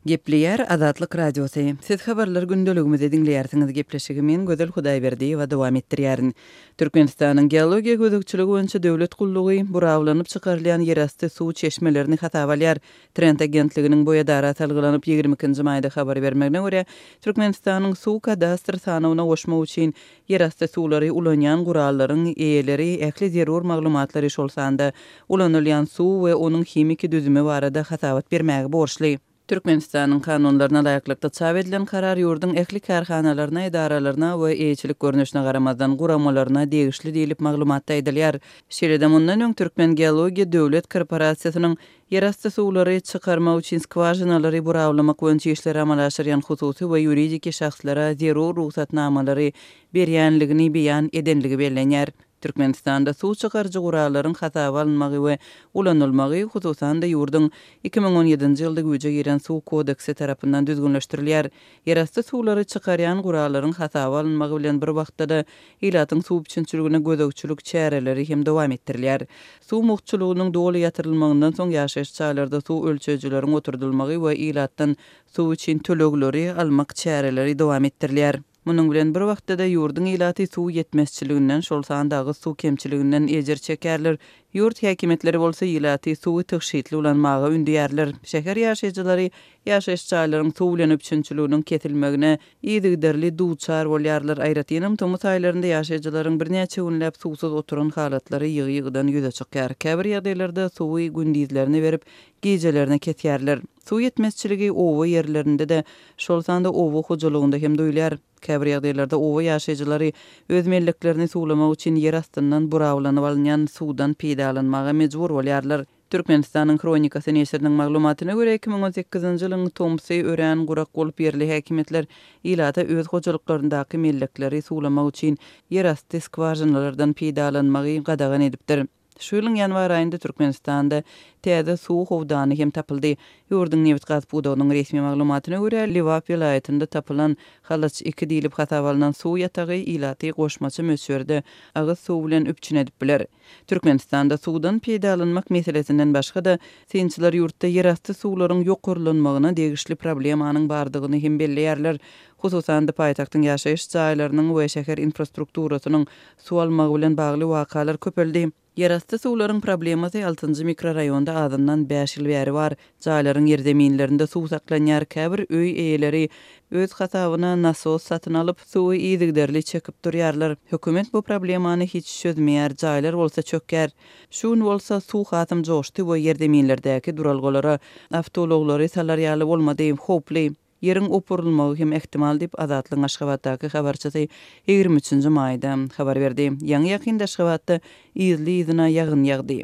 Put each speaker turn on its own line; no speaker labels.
Gepleýär Azatlyk Radiosy. Siz habarlar gündeligimizi diňleýärsiňiz. Gepleşigi men Gözel Hudaýberdiýewa dowam etdirýärin. Türkmenistanyň Geologiýa gözegçiligi boýunça döwlet gullugy burawlanyp çykarylýan ýerasty suw çeşmelerini hasaba alýar. Trend agentliginiň bu edara salgylanyp 22 nji maýda habar bermegine görä, Türkmenistanyň suw kadastr sanawyna goşmak üçin ýerasty suwlary ulanýan gurallaryň eýeleri ähli zerur maglumatlary, şol sanda ulanylýan suw we onuň himiki düzümi barada hasabat bermäge borçly. Türkmenistanyň kanunlaryna laýyklykda çap edilen karar ýurduň ähli kärhanalaryna, edaralaryna we eýeçilik görnüşine garamazdan guramalaryna degişli diýlip maglumatda aýdylýar. Şeýle-de mundan öň Türkmengeologiýa döwlet korporasiýasynyň ýerasty suwlary çykarmak üçin skwažinalary burawlamak boýunça işleri amala aşyrýan hususy we ýuridiki şahslara zerur rugsatnamalary berýänligini beýan edenligi bellenýär. Türkmenistanda suw çykaryjy gurallaryň hasaba alynmagy we ulanylmagy, hususan-da, ýurduň 2017-nji ýylda güýje giren Suw kodeksi tarapyndan düzgünleşdirilýär. Ýerasty suwlary çykarýan gurallaryň hasaba alynmagy bilen bir wagtda-da, ilatyň suw üpjünçiligine gözegçilik çäreleri hem dowam etdirilýär. Suw mugtçulygynyň doly ýatyrylmagyndan soň ýaşaýyş jaýlarda suw ölçeýjileriň oturdylmagy we ilatdan suw üçin tölegleri almak çäreleri dowam etdirilýär. Munuň bilen bir wagtda-da ýurduň ilaty suw ýetmezçiliginden, şol sanda agyz suw kemçiliginden ejir çekýärler. Ýurt häkimiýetleri bolsa ilaty suwy tygşytly ulanmaga ündeýärler. Şäher ýaşaýjylary ýaşaýyş jaýlaryň suw bilen üpjünçiliginiň kesilmegine yzygiderli duçar bolýarlar. Aýratynam, tomus aýlarynda ýaşaýjylaryň birnäçe günläp suwsuz oturan halatlary ýygy-ýygydan ýüze çykýar. Käbir ýagdaýlarda suwy gündizlerine berip, gijelerine kesýärler. Suw ýetmezçiligi oba ýerlerinde-de, şol sanda oba hojalygynda hem duýulýar. Käbir ýagdaýlarda oba ýaşaýjylary öz melleklerini suwlamak üçin ýer astyndan burawlanyp alynýan suwdan peýdalanmaga mejbur bolýarlar. Türkmenistanyň Hronikasy neşiriniň maglumatyna görä, 2018-nji ýylyň tomsy örän gurak bolup, ýerli häkimiýetler ilata öz hojalyklaryndaky mellekleri suwlamak üçin ýerasty skwažinalardan peýdalanmagy gadagan edipdir. Şu ýylyň ýanwar aýynda Türkmenistanda täze suw howdany hem tapyldy. Ýurduň nebit-gaz pudagynyň resmi maglumatyna görä, Lebap welaýatynda tapylan Halaç iki diýlip hasaba alnan suw ýatagy ilaty goşmaça möçberde agyz suwy bilen üpjün edip biler. Türkmenistanda suwdan peýdalanmak meselesinden başga-da, synçylar ýurtda ýerasty suwlaryň ýokarlanmagyna degişli problemanyň bardygyny hem belleýärler. Hususan-da, paýtagtyň ýaşaýyş jaýlarynyň we şäher infrastrukturasynyň Suw almagy bilen bagly wakalar köpeldi. Ýerasty suwlaryň problemasy altynjy mikroraýonda azyndan bäş ýyl bäri bar. Jaýlaryň ýerzeminlerinde suw saklanýar, käbir öý eýeleri öz hasabyna nasos satyn alyp, suwy yzygiderli çekip durýarlar. Hökümet bu problemany hiç çözmeýär, jaýlar bolsa çökýär. Şu gün bolsa suw hasam joşdy we ýerzeminlerdäki duralgalara awtoulaglary salar ýaly bolmady. Howply. Ýeriň opurylmagy hem ähtimal diýip, Azatlygyň Aşgabatdaky habarçysy 23 nji maýda habar berdi. Ýaňy-ýakynda Aşgabatda yzly-yzyna ýagyn ýagdy.